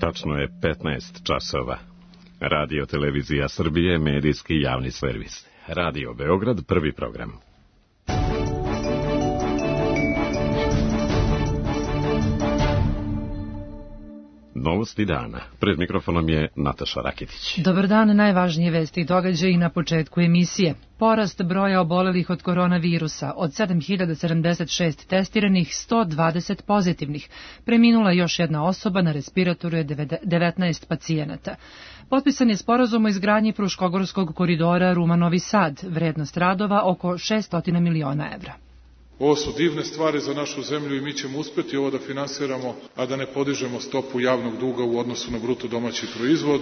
Tačno je 15 časova. Radio Televizija Srbije, medijski javni servis. Radio Beograd, prvi program. Novosti dana. Pred mikrofonom je Nataša Rakitić. Dobar dan, najvažnije vesti i događaji na početku emisije. Porast broja obolelih od koronavirusa, od 7076 testiranih, 120 pozitivnih. Preminula još jedna osoba, na respiratoru je 19 pacijenata. Potpisan je sporazum o izgradnji Fruškogorskog koridora Ruma-Novi Sad, vrednost radova oko 600 miliona evra. Ovo su divne stvari za našu zemlju i mi ćemo uspeti ovo da finansiramo, a da ne podižemo stopu javnog duga u odnosu na bruto domaći proizvod.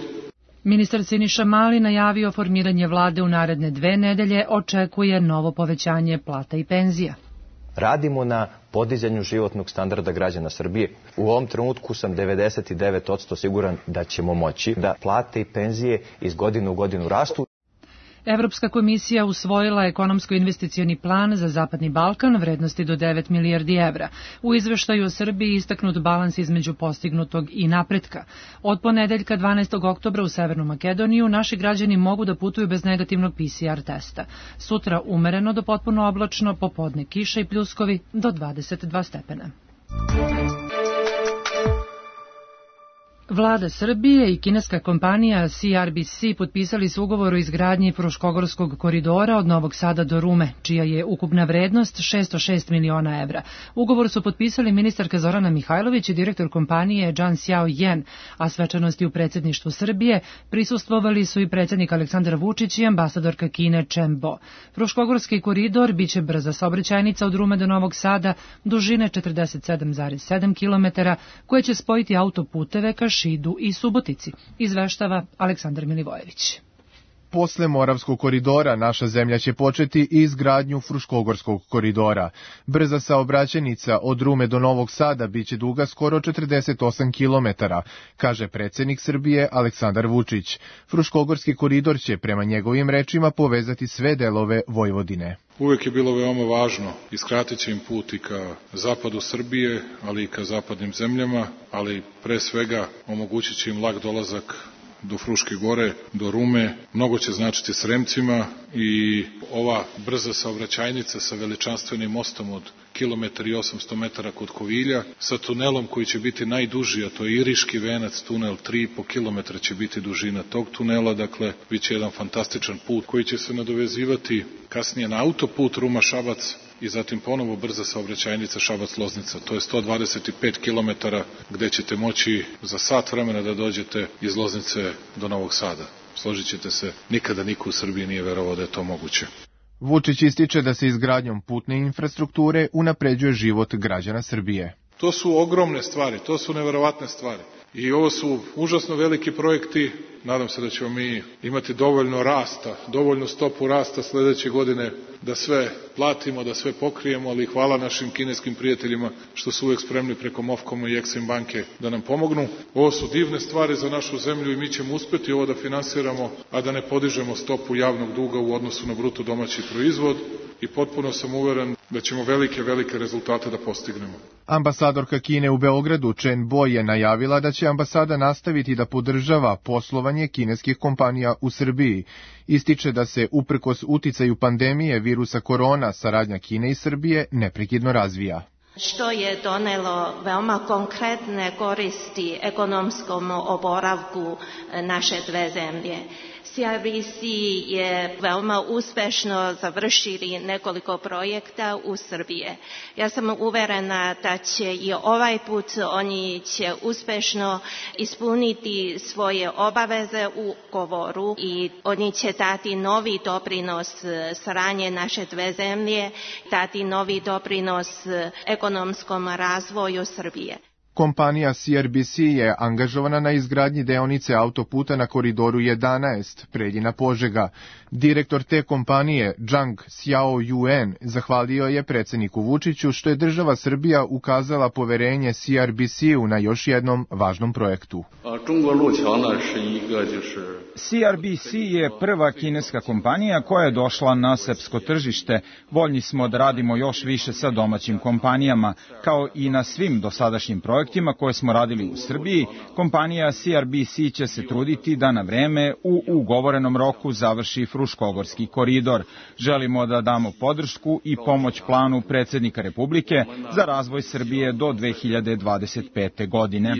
Ministar Siniša Mali najavio formiranje vlade u naredne 2 nedelje, očekuje novo povećanje plata i penzija. Radimo na podizanju životnog standarda građana Srbije. U ovom trenutku sam 99% siguran da ćemo moći da plate i penzije iz godine u godinu rastu. Evropska komisija usvojila ekonomsko-investicioni plan za Zapadni Balkan vrednosti do 9 milijardi evra. U izveštaju o Srbiji istaknut balans između postignutog i napretka. Od ponedeljka 12. oktobra u Severnu Makedoniju naši građani mogu da putuju bez negativnog PCR testa. Sutra umereno do potpuno oblačno, popodne kiša i pljuskovi do 22 stepena. Vlada Srbije i kineska kompanija CRBC potpisali su ugovor o izgradnji Fruškogorskog koridora od Novog Sada do Rume, čija je ukupna vrednost 606 miliona evra. Ugovor su potpisali ministarka Zorana Mihajlović i direktor kompanije Zhang Xiaoyan, a svečanosti u predsjedništvu Srbije prisustvovali su i predsjednik Aleksandar Vučić i ambasadorka Kine Chen Bo. Fruškogorski koridor biće brza saobraćajnica od Rume do Novog Sada, dužine 47,7 km, koje će spojiti autoputeve ka Šidu i Subotici, izveštava Aleksandar Milivojević. Posle Moravskog koridora naša zemlja će početi i izgradnju Fruškogorskog koridora. Brza saobraćajnica od Rume do Novog Sada biće duga skoro 48 km, kaže predsjednik Srbije Aleksandar Vučić. Fruškogorski koridor će, prema njegovim rečima, povezati sve delove Vojvodine. Uvek je bilo veoma važno i skratit će im put i ka zapadu Srbije, ali i ka zapadnim zemljama, ali pre svega omogućit će im lak dolazak do Fruške gore, do Rume. Mnogo će značiti Sremcima i ova brza saobraćajnica sa veličanstvenim mostom od 1,8 km kod Kovilja, sa tunelom koji će biti najduži, a to je Iriški venac, tunel 3,5 km će biti dužina tog tunela, dakle, bit će jedan fantastičan put koji će se nadovezivati kasnije na autoput Ruma-Šabac i zatim ponovo brza saobraćajnica Šabac-Loznica. To je 125 km gde ćete moći za sat vremena da dođete iz Loznice do Novog Sada. Složit ćete se, nikada niko u Srbiji nije verovao da je to moguće. Vučić ističe da se izgradnjom putne infrastrukture unapređuje život građana Srbije. To su ogromne stvari, to su neverovatne stvari. I ovo su užasno veliki projekti. Nadam se da ćemo mi imati dovoljno rasta, dovoljnu stopu rasta sledeće godine da sve platimo, da sve pokrijemo, ali hvala našim kineskim prijateljima što su uvek spremni preko Mofcoma i Exim banke da nam pomognu. Ovo su divne stvari za našu zemlju i mi ćemo uspeti ovo da finansiramo, a da ne podižemo stopu javnog duga u odnosu na bruto domaći proizvod i potpuno sam uveren da ćemo velike rezultate da postignemo. Ambasadorka Kine u Beogradu Chen Bo je najavila da će ambasada nastaviti da podržava poslovanje kineskih kompanija u Srbiji. Ističe da se uprkos uticaju pandemije virusa korona saradnja Kine i Srbije neprekidno razvija. Što je donelo veoma konkretne koristi ekonomskom oporavku naše dve zemlje. CRBC je veoma uspešno završili nekoliko projekta u Srbije. Ja sam uverena da će i ovaj put oni će uspešno ispuniti svoje obaveze u ugovoru i oni će dati novi doprinos saradnje naše dve zemlje, dati novi doprinos ekonomskom razvoju Srbije. Kompanija CRBC je angažovana na izgradnji deonice autoputa na koridoru 11, Preljina-Požega. Direktor te kompanije, Zhang Xiaoyan, zahvalio je predsjedniku Vučiću što je država Srbija ukazala poverenje CRBC-u na još jednom važnom projektu. CRBC je prva kineska kompanija koja je došla na srpsko tržište. Voljni smo da radimo još više sa domaćim kompanijama, kao i na svim dosadašnjim projektima projektima koje smo radili u Srbiji, kompanija CRBC će se truditi da na vreme u ugovorenom roku završi Fruškogorski koridor. Želimo da damo podršku i pomoć planu predsjednika Republike za razvoj Srbije do 2025. godine.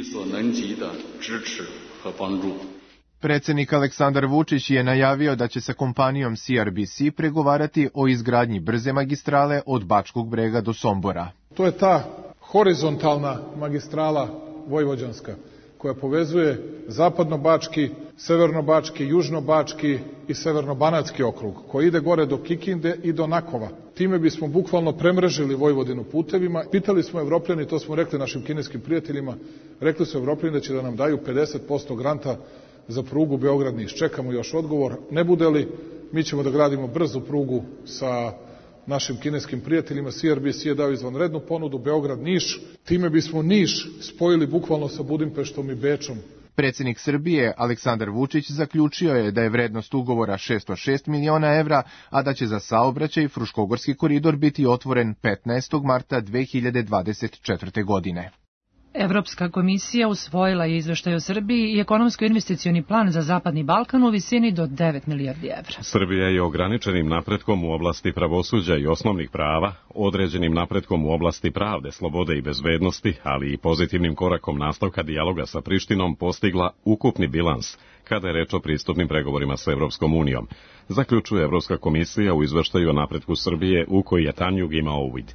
Predsjednik Aleksandar Vučić je najavio da će sa kompanijom CRBC pregovarati o izgradnji brze magistrale od Bačkog Brega do Sombora. To je ta horizontalna magistrala vojvođanska koja povezuje zapadno-bački, severno-bački, južno-bački i severno-banatski okrug, koji ide gore do Kikinde i do Nakova. Time bismo bukvalno premrežili Vojvodinu putevima. Pitali smo Evropljani, to smo rekli našim kineskim prijateljima, rekli su Evropljani da će da nam daju 50% granta za prugu Beograd-Niš. Čekamo još odgovor. Ne bude li, mi ćemo da gradimo brzu prugu sa našim kineskim prijateljima. CRBC je dao izvanrednu ponudu Beograd-Niš. Time bismo Niš spojili bukvalno sa Budimpeštom i Bečom. Predsjednik Srbije Aleksandar Vučić zaključio je da je vrednost ugovora 606 miliona evra, a da će za saobraćaj Fruškogorski koridor biti otvoren 15. marta 2024. godine. Evropska komisija usvojila je izveštaj o Srbiji i ekonomsko-investicioni plan za Zapadni Balkan u visini do 9 milijardi evra. Srbija je ograničenim napretkom u oblasti pravosuđa i osnovnih prava, određenim napretkom u oblasti pravde, slobode i bezbednosti, ali i pozitivnim korakom nastavka dijaloga sa Prištinom postigla ukupni bilans kada je reč o pristupnim pregovorima sa Evropskom unijom, zaključuje Evropska komisija u izveštaju o napretku Srbije u koji je Tanjug imao uvid.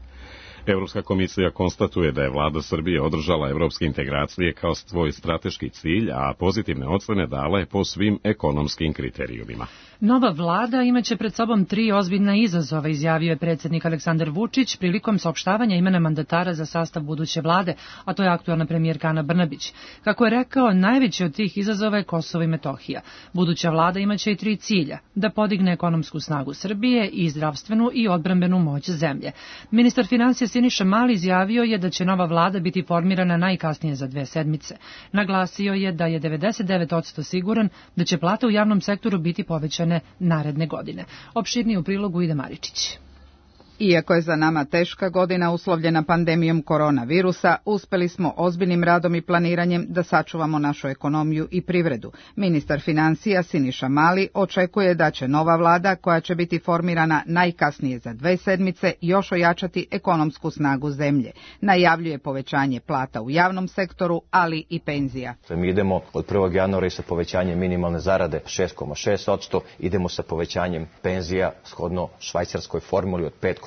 Evropska komisija konstatuje da je vlada Srbije održala evropske integracije kao svoj strateški cilj, a pozitivne ocene dala je po svim ekonomskim kriterijumima. Nova vlada imaće pred sobom 3 ozbiljna izazova, izjavio je predsjednik Aleksandar Vučić prilikom saopštavanja imena mandatara za sastav buduće vlade, a to je aktualna premijerka Ana Brnabić. Kako je rekao, najveći od tih izazova je Kosovo i Metohija. Buduća vlada imaće i 3 cilja: da podigne ekonomsku snagu Srbije i zdravstvenu i odbrambenu moć zemlje. Ministar finansija Siniša Mali izjavio je da će nova vlada biti formirana najkasnije za 2 sedmice. Naglasio je da je 99% siguran da će plate u javnom sektoru biti povećane naredne godine. Opširnije u prilogu Ida Maričić. Iako je za nama teška godina uslovljena pandemijom koronavirusa, uspeli smo ozbiljnim radom i planiranjem da sačuvamo našu ekonomiju i privredu. Ministar finansija Siniša Mali očekuje da će nova vlada, koja će biti formirana najkasnije za 2 sedmice, još ojačati ekonomsku snagu zemlje. Najavljuje povećanje plata u javnom sektoru, ali i penzija. Mi idemo od 1. januara i sa povećanjem minimalne zarade 6,6%, idemo sa povećanjem penzija shodno švajcarskoj formuli od 5,9%.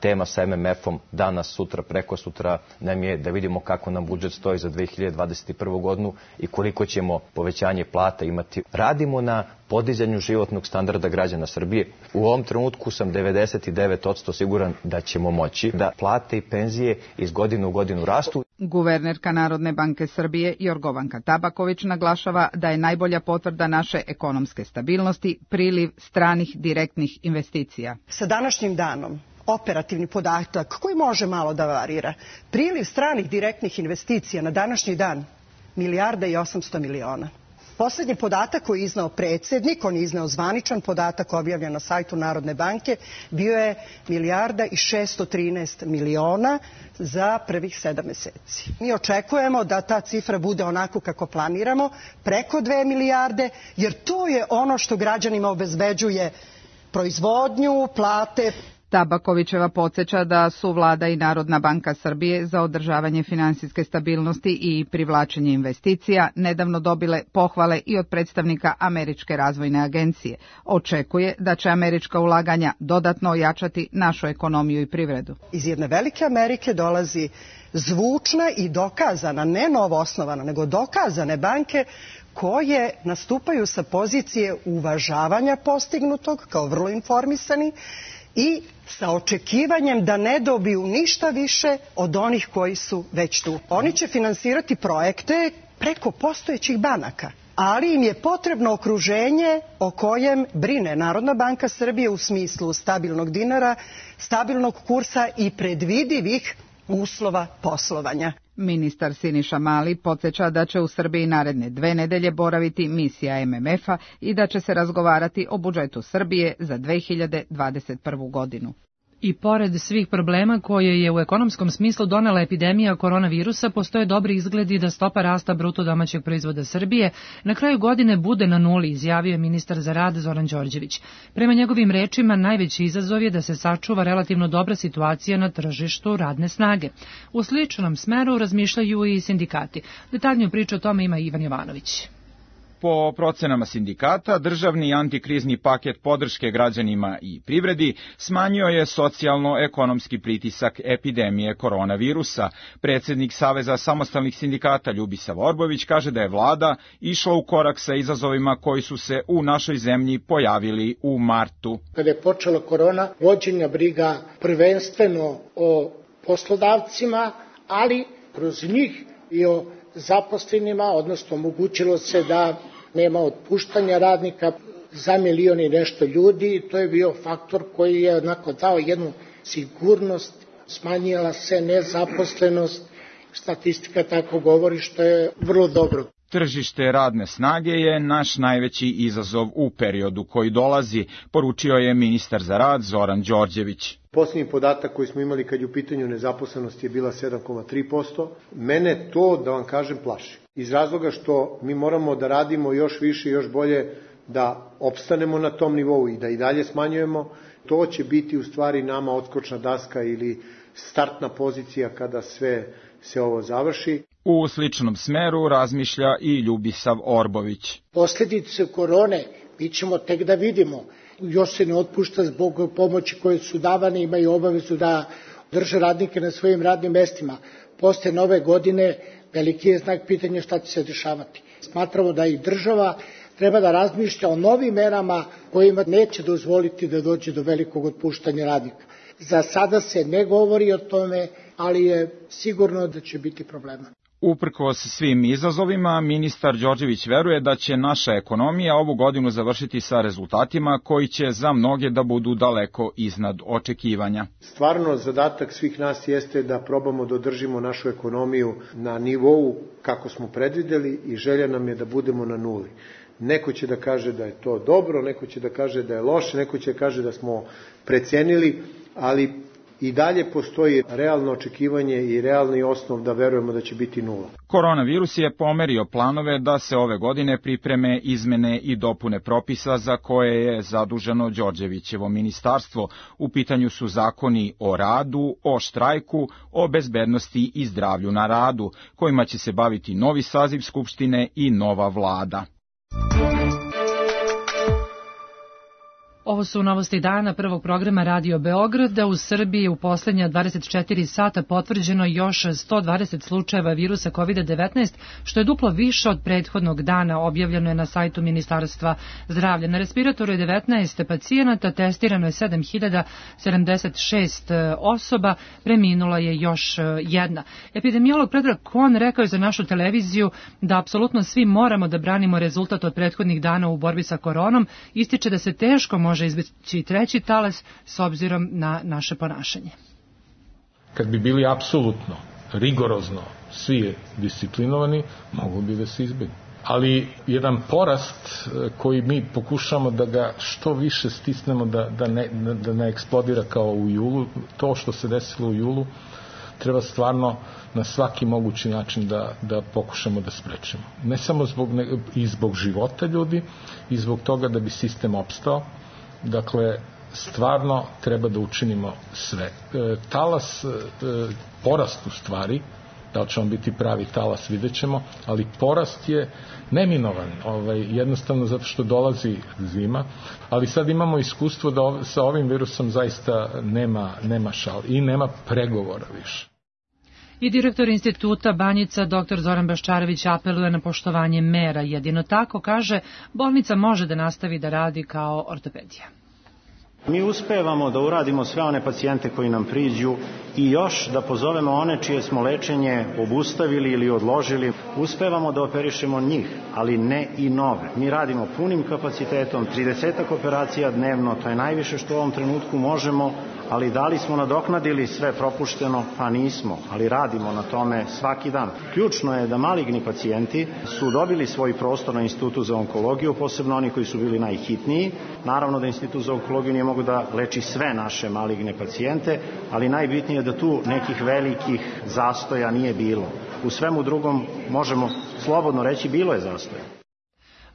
Tema sa MMF-om danas, sutra, preko sutra nam je da vidimo kako nam budžet stoji za 2021. godinu i koliko ćemo povećanje plata imati. Radimo na podizanju životnog standarda građana Srbije. U ovom trenutku sam 99% siguran da ćemo moći da plate i penzije iz godine u godinu rastu. Guvernerka Narodne banke Srbije Jorgovanka Tabaković naglašava da je najbolja potvrda naše ekonomske stabilnosti priliv stranih direktnih investicija. Sa današnjim danom operativni podatak koji može malo da varira. Priliv stranih direktnih investicija na današnji dan 1,8 milijarda. Poslednji podatak koji je iznao predsjednik, on je iznao zvaničan podatak objavljen na sajtu Narodne banke, bio je 1,613 milijardi za prvih 7 meseci. Mi očekujemo da ta cifra bude onako kako planiramo, preko 2 milijarde, jer to je ono što građanima obezbeđuje proizvodnju, plate. Tabakovićeva podsjeća da su vlada i Narodna banka Srbije za održavanje finansijske stabilnosti i privlačenje investicija nedavno dobile pohvale i od predstavnika Američke razvojne agencije. Očekuje da će američka ulaganja dodatno ojačati našu ekonomiju i privredu. Iz jedne velike Amerike dolazi zvučna i dokazana, ne novoosnovana, nego dokazane banke koje nastupaju sa pozicije uvažavanja postignutog kao vrlo informisani i sa očekivanjem da ne dobiju ništa više od onih koji su već tu. Oni će finansirati projekte preko postojećih banaka, ali im je potrebno okruženje o kojem brine Narodna banka Srbije u smislu stabilnog dinara, stabilnog kursa i predvidivih uslova poslovanja. Ministar Siniša Mali podsjeća da će u Srbiji naredne 2 nedelje boraviti misija MMF-a i da će se razgovarati o budžetu Srbije za 2021. godinu. I pored svih problema koje je u ekonomskom smislu donela epidemija koronavirusa, postoje dobri izgledi da stopa rasta bruto domaćeg proizvoda Srbije na kraju godine bude na nuli, izjavio je ministar za rad Zoran Đorđević. Prema njegovim rečima, najveći izazov je da se sačuva relativno dobra situacija na tržištu radne snage. U sličnom smeru razmišljaju i sindikati. Detaljniju priču o tome ima Ivan Jovanović. Po procenama sindikata, državni antikrizni paket podrške građanima i privredi smanjio je socijalno-ekonomski pritisak epidemije koronavirusa. Predsednik Saveza samostalnih sindikata Ljubisav Orbović kaže da je vlada išla u korak sa izazovima koji su se u našoj zemlji pojavili u martu. Kada je počela korona, vođenja briga prvenstveno o poslodavcima, ali kroz njih i o zaposlenima, odnosno omogućilo se da nema otpuštanja radnika za 1 milion i nešto ljudi i to je bio faktor koji je onako dao jednu sigurnost, smanjila se nezaposlenost, statistika tako govori, što je vrlo dobro. Tržište radne snage je naš najveći izazov u periodu koji dolazi, poručio je ministar za rad Zoran Đorđević. Posljednji podatak koji smo imali kad je u pitanju nezaposlenost je bila 7,3%. Mene to, da vam kažem, plaši. Iz razloga što mi moramo da radimo još više i još bolje da opstanemo na tom nivou i da i dalje smanjujemo. To će biti u stvari nama odskočna daska ili startna pozicija kada sve se ovo završi. U sličnom smeru razmišlja i Ljubisav Orbović. Posljedice korone mi ćemo tek da vidimo. Još se ne otpušta zbog pomoći koje su davane, imaju obavezu da drže radnike na svojim radnim mestima. Posle nove godine veliki je znak pitanja šta će se dešavati. Smatramo da i država treba da razmišlja o novim merama kojima neće dozvoliti da dođe do velikog otpuštanja radnika. Za sada se ne govori o tome, ali je sigurno da će biti problema. Uprkos svim izazovima, ministar Đorđević veruje da će naša ekonomija ovu godinu završiti sa rezultatima koji će za mnoge da budu daleko iznad očekivanja. Stvarno, zadatak svih nas jeste da probamo da održimo našu ekonomiju na nivou kako smo predvideli i želja nam je da budemo na nuli. Neko će da kaže da je to dobro, neko će da kaže da je loše, neko će da kaže da smo precenili, ali i dalje postoji realno očekivanje i realni osnov da verujemo da će biti nula. Koronavirus je pomerio planove da se ove godine pripreme izmene i dopune propisa za koje je zaduženo Đorđevićevo ministarstvo. U pitanju su zakoni o radu, o štrajku, o bezbednosti i zdravlju na radu, kojima će se baviti novi saziv Skupštine i nova vlada. Ovo su novosti dana prvog programa Radio Beograda. U Srbiji u poslednja 24 sata potvrđeno još 120 slučajeva virusa COVID-19, što je duplo više od prethodnog dana, objavljeno je na sajtu Ministarstva zdravlja. Na respiratoru je 19 pacijenata, testirano je 7076 osoba, preminula je još jedna. Epidemiolog Predrag Kon rekao je za našu televiziju da apsolutno svi moramo da branimo rezultat od prethodnih dana u borbi sa koronom. Ističe da se teško može izbeći treći talas s obzirom na naše ponašanje. Kad bi bili apsolutno, rigorozno svi disciplinovani, moglo bi da se izbegne. Ali jedan porast koji mi pokušamo da ga što više stisnemo, da ne eksplodira kao u julu, to što se desilo u julu, treba stvarno na svaki mogući način da pokušamo da sprečimo. Ne samo zbog života ljudi i zbog toga da bi sistem opstao. Dakle, stvarno treba da učinimo sve. Talas, porast u stvari, da li će on biti pravi talas, vidjet ćemo, ali porast je neminovan, jednostavno zato što dolazi zima, ali sad imamo iskustvo da sa ovim virusom zaista nema šal i nema pregovora više. I direktor instituta Banjica, dr. Zoran Baščarević, apeluje na poštovanje mera. Jedino tako, kaže, bolnica može da nastavi da radi kao ortopedija. Mi uspevamo da uradimo sve one pacijente koji nam priđu i još da pozovemo one čije smo lečenje obustavili ili odložili. Uspevamo da operišemo njih, ali ne i nove. Mi radimo punim kapacitetom, 30 operacija dnevno, to je najviše što u ovom trenutku možemo, ali da li smo nadoknadili sve propušteno? Pa nismo, ali radimo na tome svaki dan. Ključno je da maligni pacijenti su dobili svoj prostor na Institutu za onkologiju, posebno oni koji su bili najhitniji. Naravno da Institut za onkologiju nije mogu da leči sve naše maligne pacijente, ali najbitnije je da tu nekih velikih zastoja nije bilo. U svemu drugom možemo slobodno reći bilo je zastoja.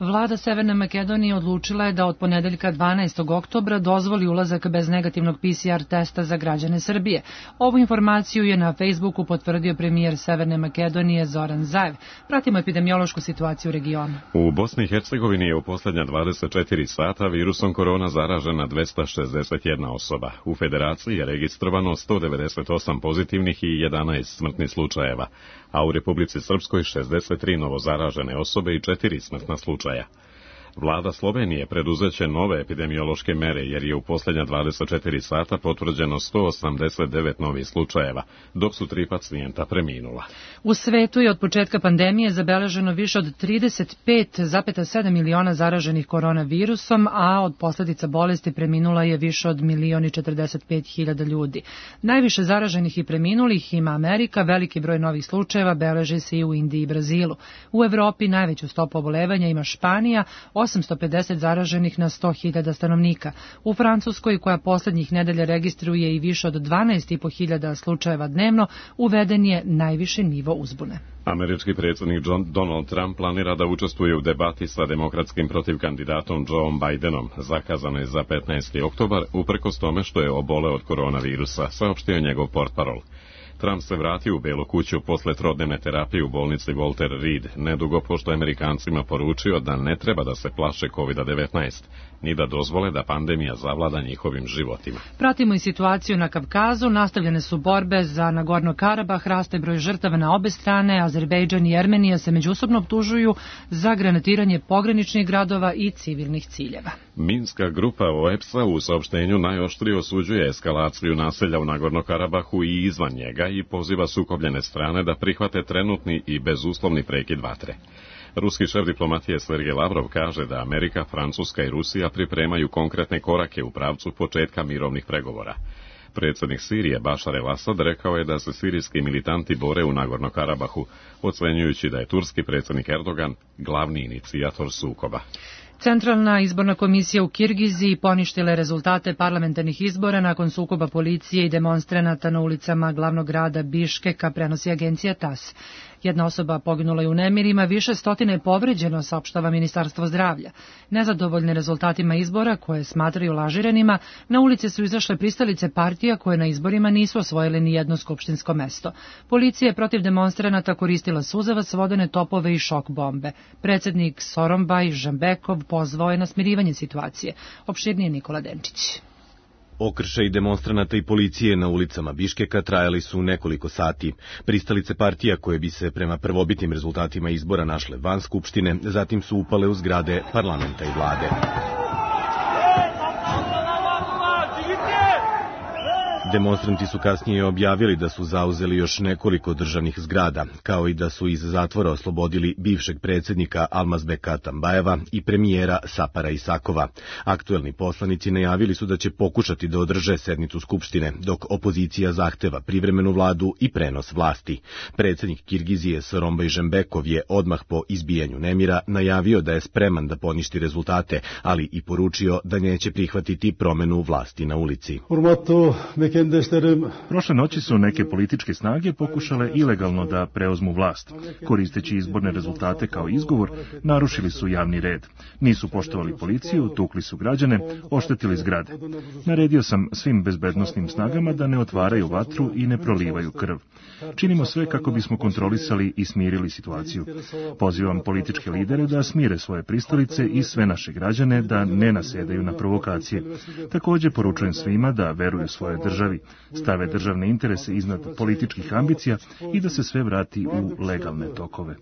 Vlada Severne Makedonije odlučila je da od ponedeljka 12. oktobra dozvoli ulazak bez negativnog PCR testa za građane Srbije. Ovu informaciju je na Facebooku potvrdio premijer Severne Makedonije Zoran Zaev. Pratimo epidemiološku situaciju u regionu. U Bosni i Hercegovini je u posljednja 24 sata virusom korona zaražena 261 osoba. U Federaciji je registrovano 198 pozitivnih i 11 smrtnih slučajeva, a u Republici Srpskoj 63 novozaražene osobe i 4 smrtna slučaja. Vlada Slovenije preduzeće nove epidemiološke mere jer je u posljednja 24 sata potvrđeno 189 novih slučajeva, dok su 3 pacijenta preminula. U svetu je od početka pandemije zabeleženo više od 35,7 miliona zaraženih koronavirusom, a od posljedica bolesti preminula je više od 1.045.000 ljudi. Najviše zaraženih i preminulih ima Amerika, veliki broj novih slučajeva beleži se i u Indiji i Brazilu. U Evropi najveću stopu obolevanja ima Španija, 850 zaraženih na 100.000 stanovnika. U Francuskoj, koja posljednjih nedelja registruje i više od 12.500 slučajeva dnevno, uveden je najviši nivo uzbune. Američki predsjednik Donald Trump planira da učestvuje u debati sa demokratskim protivkandidatom Joeom Bidenom, zakazano je za 15. oktobar, uprkos tome što je oboleo od koronavirusa, saopštio njegov portparol. Trump se vratio u Belu kuću posle trodnevne terapije u bolnici Walter Reed, nedugo pošto je Amerikancima poručio da ne treba da se plaše COVID-19, ni da dozvole da pandemija zavlada njihovim životima. Pratimo i situaciju na Kavkazu, nastavljene su borbe za Nagorno Karabah, raste broj žrtava na obe strane, Azerbejdžan i Armenija se međusobno optužuju za granatiranje pograničnih gradova i civilnih ciljeva. Minska grupa OEPS-a u saopštenju najoštrije osuđuje eskalaciju naselja u Nagorno Karabahu i izvan njega i poziva sukobljene strane da prihvate trenutni i bezuslovni prekid vatre. Ruski šef diplomatije Sergej Lavrov kaže da Amerika, Francuska i Rusija pripremaju konkretne korake u pravcu početka mirovnih pregovora. Predsjednik Sirije Bašar el-Asad rekao je da se sirijski militanti bore u Nagorno Karabahu, ocenjujući da je turski predsjednik Erdogan glavni inicijator sukoba. Centralna izborna komisija u Kirgiziji poništila je rezultate parlamentarnih izbora nakon sukoba policije i demonstranata na ulicama glavnog grada Biškeka, prenosi agencija TAS. Jedna osoba poginula je u nemirima, više stotina je povređeno, saopštava Ministarstvo zdravlja. Nezadovoljne rezultatima izbora, koje smatraju lažiranima, na ulice su izašle pristalice partija koje na izborima nisu osvojile ni jedno skupštinsko mesto. Policija je protiv demonstranata koristila suzavac, vodene topove i šok bombe. Predsjednik Sorombaj Žambekov pozvao je na smirivanje situacije. Opširnije Nikola Denčić. Okršaj demonstranata i policije na ulicama Biškeka trajali su nekoliko sati. Pristalice partija koje bi se prema prvobitnim rezultatima izbora našle van skupštine, zatim su upale u zgrade parlamenta i vlade. Demonstranti su kasnije objavili da su zauzeli još nekoliko državnih zgrada, kao i da su iz zatvora oslobodili bivšeg predsjednika Almazbeka Atambajeva i premijera Sapara Isakova. Aktuelni poslanici najavili su da će pokušati da održe sednicu skupštine, dok opozicija zahteva privremenu vladu i prenos vlasti. Predsjednik Kirgizije Sorombaj Žembekov je odmah po izbijanju nemira najavio da je spreman da poništi rezultate, ali i poručio da neće prihvatiti promenu vlasti na ulici. Prošle noći su neke političke snage pokušale ilegalno da preuzmu vlast. Koristeći izborne rezultate kao izgovor, narušili su javni red. Nisu poštovali policiju, tukli su građane, oštetili zgrade. Naredio sam svim bezbednosnim snagama da ne otvaraju vatru i ne prolivaju krv. Činimo sve kako bismo kontrolisali i smirili situaciju. Pozivam političke lidere da smire svoje pristalice i sve naše građane da ne nasedaju na provokacije. Također poručujem svima da veruju svoje državi, stave državne interese iznad političkih ambicija i da se sve vrati u legalne tokove.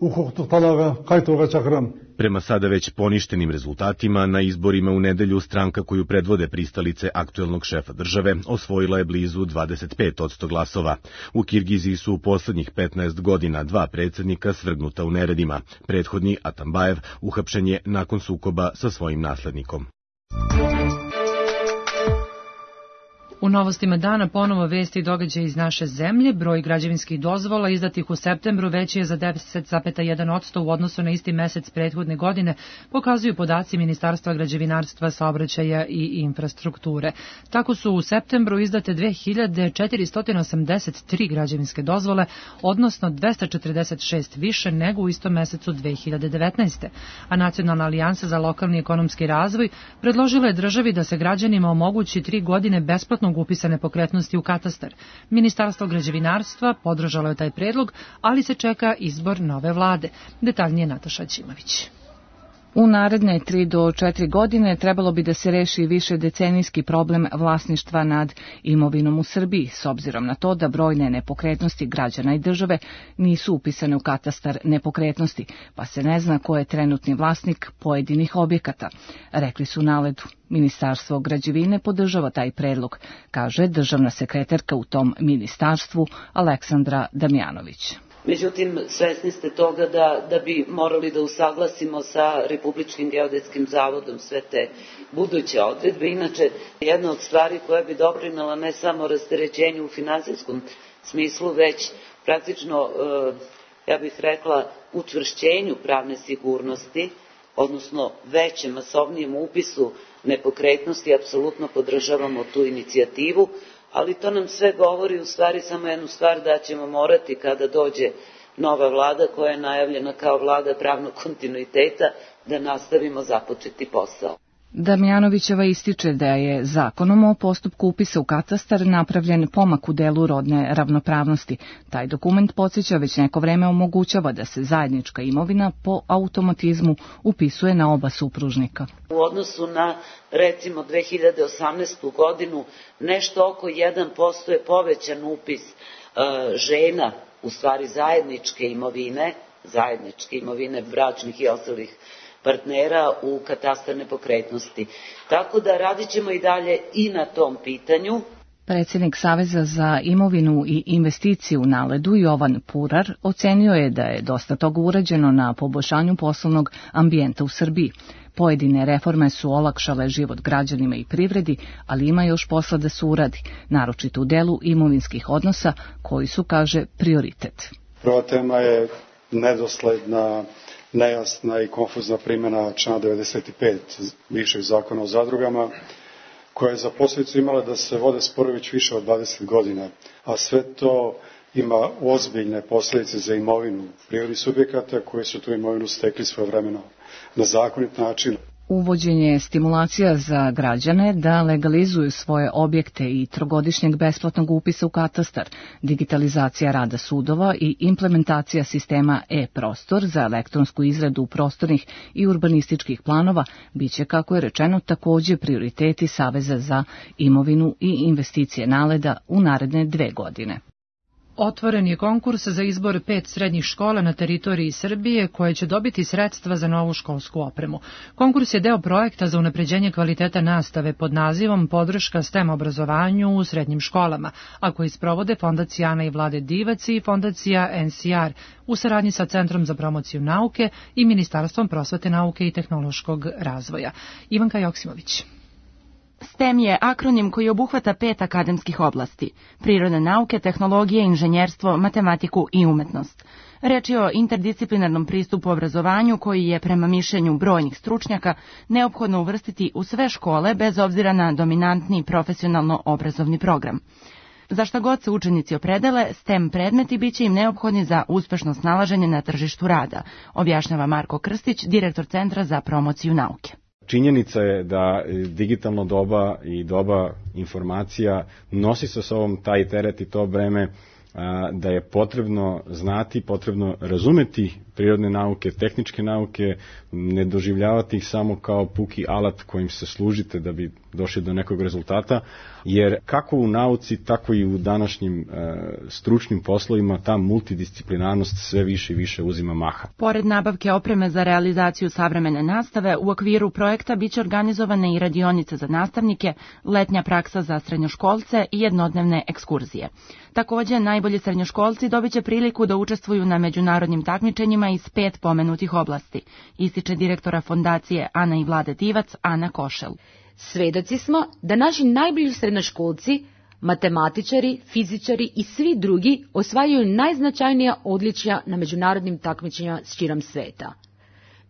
Prema sada već poništenim rezultatima, na izborima u nedelju stranka koju predvode pristalice aktuelnog šefa države osvojila je blizu 25% glasova. U Kirgiziji su u posljednjih 15 godina 2 predsjednika svrgnuta u neredima. Prethodni Atambajev uhapšen je nakon sukoba sa svojim naslednikom. U novostima dana ponovo vesti i događaje iz naše zemlje. Broj građevinskih dozvola izdatih u septembru veći je za 10,1% u odnosu na isti mesec prethodne godine, pokazuju podaci Ministarstva građevinarstva, saobraćaja i infrastrukture. Tako su u septembru izdate 2483 građevinske dozvole, odnosno 246 više nego u istom mesecu 2019. A Nacionalna alijansa za lokalni ekonomski razvoj predložila je državi da se građanima omogući 3 godine besplatnog upisa nepokretnosti u katastar. Ministarstvo građevinarstva podržalo je taj predlog, ali se čeka izbor nove vlade. Detaljnije Nataša Ćimović. U naredne 3 do 4 godine trebalo bi da se reši više decenijski problem vlasništva nad imovinom u Srbiji, s obzirom na to da brojne nepokretnosti građana i države nisu upisane u katastar nepokretnosti, pa se ne zna ko je trenutni vlasnik pojedinih objekata, rekli su na Ledu. Ministarstvo građevine podržava taj predlog, kaže državna sekretarka u tom ministarstvu Aleksandra Damjanović. Međutim, svesni ste toga da bi morali da usaglasimo sa Republičkim geodetskim zavodom sve te buduće odredbe. Inače, jedna od stvari koja bi doprinela ne samo rasterećenju u finansijskom smislu, već praktično, ja bih rekla, učvršćenju pravne sigurnosti, odnosno većem, masovnijem upisu nepokretnosti, apsolutno podržavamo tu inicijativu, ali to nam sve govori u stvari samo jednu stvar, da ćemo morati kada dođe nova vlada koja je najavljena kao vlada pravnog kontinuiteta da nastavimo započeti posao. Damjanovićeva ističe da je zakonom o postupku upisa u katastar napravljen pomak u delu rodne ravnopravnosti. Taj dokument, podsjeća, već neko vreme omogućava da se zajednička imovina po automatizmu upisuje na oba supružnika. U odnosu na, recimo, 2018. godinu, nešto oko 1% je povećan upis žena, u stvari zajedničke imovine bračnih i ostalih partnera u katastar nepokretnosti. Tako da radit ćemo i dalje i na tom pitanju. Predsjednik Saveza za imovinu i investiciju na Ledu, Jovan Purar, ocenio je da je dosta toga urađeno na poboljšanju poslovnog ambijenta u Srbiji. Pojedine reforme su olakšale život građanima i privredi, ali ima još posla da se uradi, naročito u delu imovinskih odnosa, koji su, kaže, prioritet. Prva tema je nedosledna, nejasna i konfuzna primjena člana 95 višeg zakona o zadrugama, koja je za posljedicu imala da se vode sporovi već više od 20 godina, a sve to ima ozbiljne posljedice za imovinu privrednih subjekata koji su tu imovinu stekli svojevremeno na zakonit način. Uvođenje stimulacija za građane da legalizuju svoje objekte i trogodišnjeg besplatnog upisa u katastar, digitalizacija rada sudova i implementacija sistema e-prostor za elektronsku izradu prostornih i urbanističkih planova biće, kako je rečeno, također prioriteti Saveza za imovinu i investicije na Leda u naredne 2 godine. Otvoren je konkurs za izbor 5 srednjih škola na teritoriji Srbije koje će dobiti sredstva za novu školsku opremu. Konkurs je deo projekta za unapređenje kvaliteta nastave pod nazivom Podrška STEM obrazovanju u srednjim školama, a koji sprovode Fondacija Ana i Vlade Divac i Fondacija NCR u saradnji sa Centrom za promociju nauke i Ministarstvom prosvete, nauke i tehnološkog razvoja. Ivanka Joksimović. STEM je akronim koji obuhvata 5 akademskih oblasti: prirodne nauke, tehnologije, inženjerstvo, matematiku i umetnost. Reč je o interdisciplinarnom pristupu obrazovanju koji je, prema mišljenju brojnih stručnjaka, neophodno uvrstiti u sve škole bez obzira na dominantni profesionalno-obrazovni program. Za šta god se učenici opredele, STEM predmeti biće im neophodni za uspešno snalaženje na tržištu rada, objašnjava Marko Krstić, direktor Centra za promociju nauke. Činjenica je da digitalno doba i doba informacija nosi sa sobom taj teret i to breme, da je potrebno znati, potrebno razumeti prirodne nauke, tehničke nauke, ne doživljavati ih samo kao puki alat kojim se služite da bi došli do nekog rezultata, jer kako u nauci, tako i u današnjim stručnim poslovima ta multidisciplinarnost sve više i više uzima maha. Pored nabavke opreme za realizaciju savremene nastave, u okviru projekta biće organizovane i radionice za nastavnike, letnja praksa za srednjoškolce i jednodnevne ekskurzije. Također, najbolji srednjoškolci dobit će priliku da učestvuju na međunarodnim takmičenjima iz 5 pomenutih oblasti, ističe direktora Fondacije Ana i Vlade Divac, Ana Košel. Svedoci smo da naši najbolji srednjoškolci, matematičari, fizičari i svi drugi osvajaju najznačajnija odličja na međunarodnim takmičenjima širom sveta.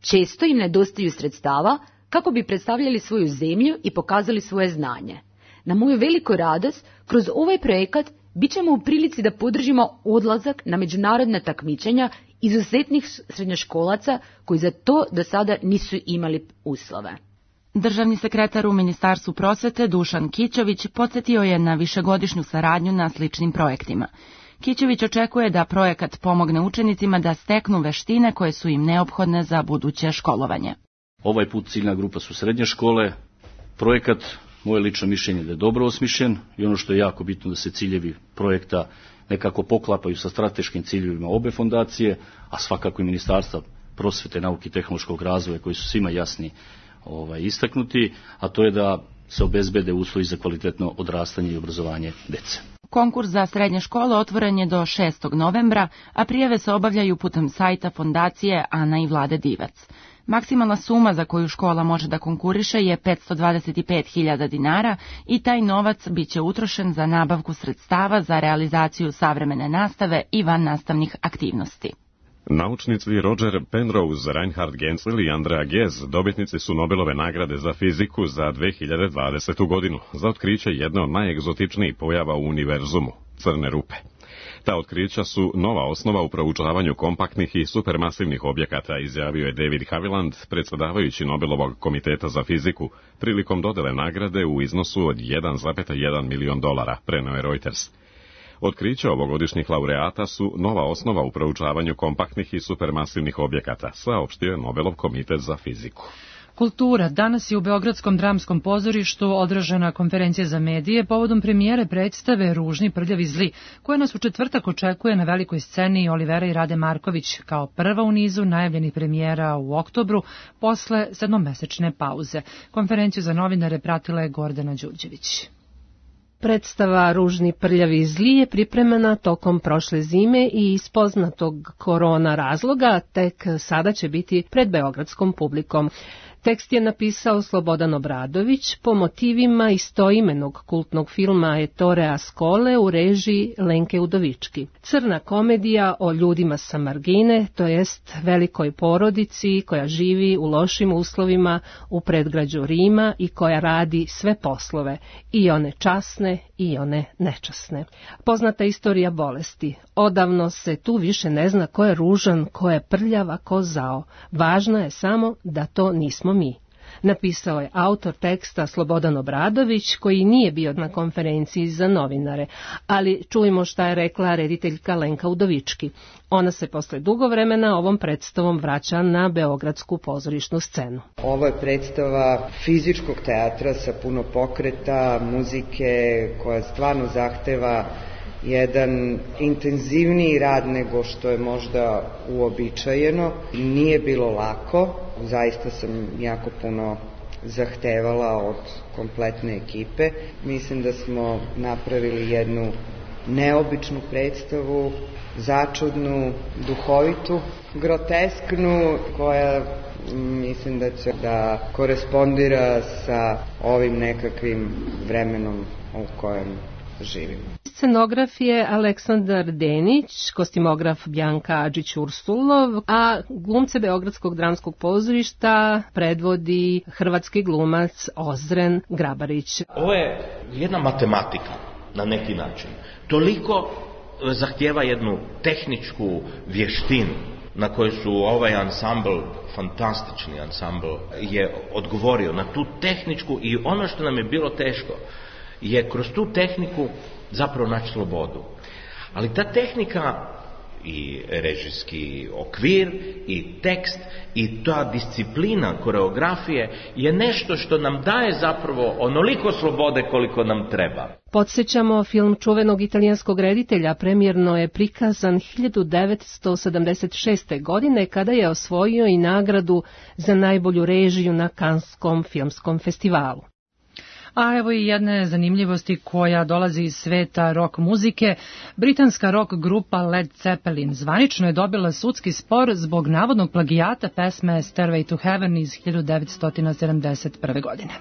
Često im nedostaju sredstava kako bi predstavljali svoju zemlju i pokazali svoje znanje. Na moju veliku radost, kroz ovaj projekat bit ćemo u prilici da podržimo odlazak na međunarodna takmičenja izuzetnih srednjoškolaca koji za to do sada nisu imali uslove. Državni sekretar u Ministarstvu prosvete Dušan Kićović podsjetio je na višegodišnju saradnju na sličnim projektima. Kićović očekuje da projekat pomogne učenicima da steknu veštine koje su im neophodne za buduće školovanje. Ovaj put ciljna grupa su srednje škole. Projekat, moje lično mišljenje, da je dobro osmišljen i ono što je jako bitno da se ciljevi projekta nekako poklapaju sa strateškim ciljevima obe fondacije, a svakako i Ministarstva prosvete, nauke i tehnološkog razvoja koji su svima jasni istaknuti, a to je da se obezbede uslovi za kvalitetno odrastanje i obrazovanje dece. Konkurs za srednje škole otvoren je do 6. novembra, a prijave se obavljaju putem sajta fondacije Ana i Vlade Divac. Maksimalna suma za koju škola može da konkuriše je 525.000 dinara i taj novac biće utrošen za nabavku sredstava za realizaciju savremene nastave i vannastavnih aktivnosti. Naučnici Roger Penrose, Reinhard Genzel i Andrea Ghez dobitnici su Nobelove nagrade za fiziku za 2020. godinu za otkriće jedne od najegzotičnijih pojava u univerzumu, crne rupe. Ta otkrića su nova osnova u proučavanju kompaktnih i supermasivnih objekata, izjavio je David Haviland, predsjedavajući Nobelovog komiteta za fiziku, prilikom dodele nagrade u iznosu od $1,1 milion, preneo je Reuters. Otkrića ovogodišnjih laureata su nova osnova u proučavanju kompaktnih i supermasivnih objekata, saopštio je Nobelov komitet za fiziku. Kultura. Danas je u Beogradskom dramskom pozorištu održana konferencija za medije povodom premijere predstave Ružni, prljavi, zli, koja nas u četvrtak očekuje na velikoj sceni Olivera i Rade Marković, kao prva u nizu najavljenih premijera u oktobru posle 7-mesečne pauze. Konferenciju za novinare pratila je Gordana Đurđević. Predstava Ružni, prljavi, zli je pripremena tokom prošle zime i iz poznatog korona razloga tek sada će biti pred beogradskom publikom. Tekst je napisao Slobodan Obradović po motivima istoimenog kultnog filma Ettore Ascole u režiji Lenke Udovički. Crna komedija o ljudima sa margine, to jest velikoj porodici koja živi u lošim uslovima u predgrađu Rima i koja radi sve poslove, i one časne i one nečasne. Poznata istorija bolesti. Odavno se tu više ne zna ko je ružan, ko je prljav, a ko zao. Važno je samo da to nismo mi. Napisao je autor teksta Slobodan Obradović, koji nije bio na konferenciji za novinare, ali čujmo šta je rekla rediteljka Lenka Udovički. Ona se posle dugo vremena ovom predstavom vraća na beogradsku pozorišnu scenu. Ovo je predstava fizičkog teatra sa puno pokreta, muzike koja stvarno zahteva jedan intenzivniji rad nego što je možda uobičajeno. Nije bilo lako, zaista sam jako puno zahtevala od kompletne ekipe. Mislim da smo napravili jednu neobičnu predstavu, začudnu, duhovitu, grotesknu, koja mislim da će da korespondira sa ovim nekakvim vremenom u kojem živimo. Scenograf je Aleksandar Denić, kostimograf Bjanka Adžić-Ursulov, a glumce Beogradskog dramskog pozorišta predvodi hrvatski glumac Ozren Grabarić. Ovo je jedna matematika na neki način. Toliko zahtjeva jednu tehničku vještinu na koju su ovaj ansambl, fantastični ansambl, je odgovorio na tu tehničku, i ono što nam je bilo teško je kroz tu tehniku zapravo naći slobodu. Ali ta tehnika i režijski okvir i tekst i ta disciplina koreografije je nešto što nam daje zapravo onoliko slobode koliko nam treba. Podsjećamo, film čuvenog italijanskog reditelja premijerno je prikazan 1976. godine kada je osvojio i nagradu za najbolju režiju na Kanskom filmskom festivalu. A evo i jedne zanimljivosti koja dolazi iz sveta rock muzike. Britanska rock grupa Led Zeppelin zvanično je dobila sudski spor zbog navodnog plagijata pesme Stairway to Heaven iz 1971. godine.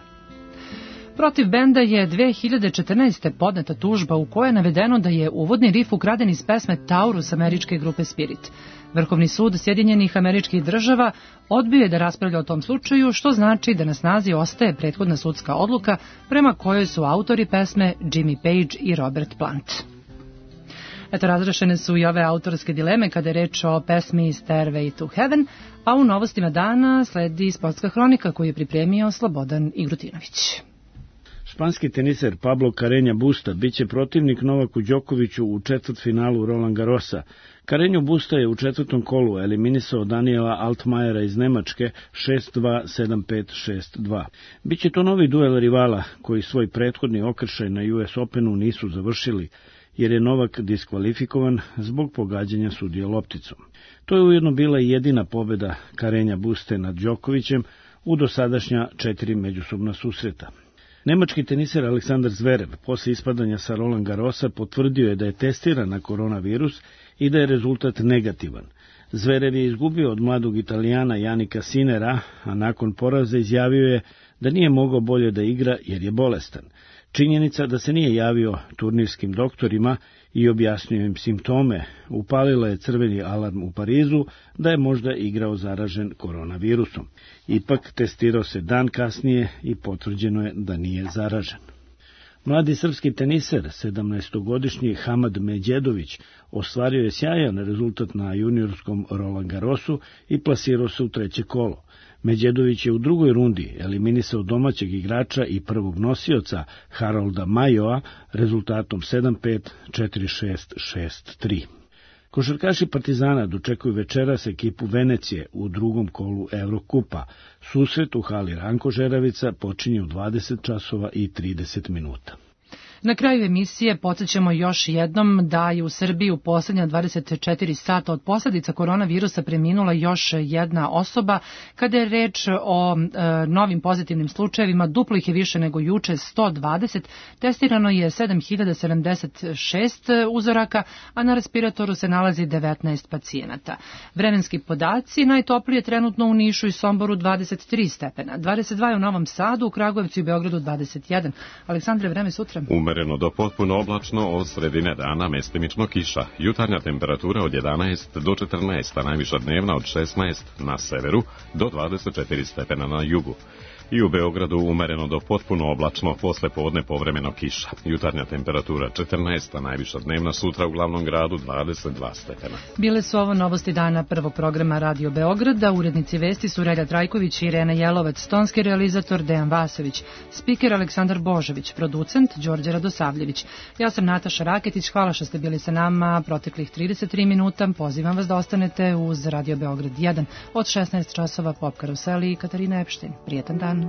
Protiv benda je 2014. podneta tužba u kojoj je navedeno da je uvodni rif ukraden iz pesme Taurus američke grupe Spirit. Vrhovni sud Sjedinjenih Američkih Država odbio je da raspravlja o tom slučaju, što znači da na snazi ostaje prethodna sudska odluka prema kojoj su autori pesme Jimmy Page i Robert Plant. Eto, razrešene su i ove autorske dileme kada je reč o pesmi Stairway to Heaven, a u novostima dana sledi sportska hronika koju je pripremio Slobodan Igrutinović. Španski teniser Pablo Carreño Busta biće protivnik Novaku Đokoviću u četvrtfinalu Roland Garrosa. Carreño Busta je u četvrtom kolu eliminisao Daniela Altmajera iz Nemačke 6-2, 7-5, 6-2. Biće to novi duel rivala koji svoj prethodni okršaj na US Openu nisu završili, jer je Novak diskvalifikovan zbog pogađanja sudije lopticom. To je ujedno bila i jedina pobjeda Carreña Buste nad Đokovićem u dosadašnja 4 međusobna susreta. Nemački teniser Aleksandar Zverev posle ispadanja sa Roland Garrosa potvrdio je da je testiran na koronavirus i da je rezultat negativan. Zverev je izgubio od mladog Italijana Janika Sinera, a nakon poraza izjavio je da nije mogao bolje da igra jer je bolestan. Činjenica da se nije javio turnirskim doktorima i objasnio im simptome upalila je crveni alarm u Parizu da je možda igrao zaražen koronavirusom. Ipak testirao se dan kasnije i potvrđeno je da nije zaražen. Mladi srpski teniser, 17-godišnji Hamad Medjedović, ostvario je sjajan rezultat na juniorskom Roland Garrosu i plasirao se u treće kolo. Medjedović je u drugoj rundi eliminisao domaćeg igrača i prvog nosioca Harolda Majoa rezultatom 7-5, 4-6, 6-3. Košarkaši Partizana dočekuju večeras ekipu Venecije u drugom kolu Evrokupa. Susret u hali Ranko Žeravica počinje u 20 časova i 30 minuta. Na kraju emisije podsjećamo još jednom da je u Srbiji u posljednja 24 sata od posljedica koronavirusa preminula još jedna osoba. Kada je reč o novim pozitivnim slučajevima, duplo ih je više nego juče, 120, testirano je 7076 uzoraka, a na respiratoru se nalazi 19 pacijenata. Vremenski podaci: najtoplije trenutno u Nišu i Somboru 23 stepena, 22 je u Novom Sadu, u Kragujevcu i Beogradu 21. Aleksandre, vreme sutra? Umereno do potpuno oblačno, od sredine dana mestimično kiša. Jutarnja temperatura od 11 do 14, a najviša dnevna od 16 na severu do 24 stepena na jugu. I u Beogradu umereno do potpuno oblačno, posle podne povremeno kiša. Jutarnja temperatura 14, a najviša dnevna sutra u glavnom gradu 22 stepena. Bile su ovo novosti dana prvog programa Radio Beograda. Urednici vesti su Relja Trajković i Irena Jelovac, tonski realizator Dejan Vasović, spiker Aleksandar Božović, producent Đorđe Radosavljević. Ja sam Nataša Raketić, hvala što ste bili sa nama proteklih 33 minuta. Pozivam vas da ostanete uz Radio Beograd 1 od 16 časova, Pop Karuseli i Katarina Epštin. Prijetan dan.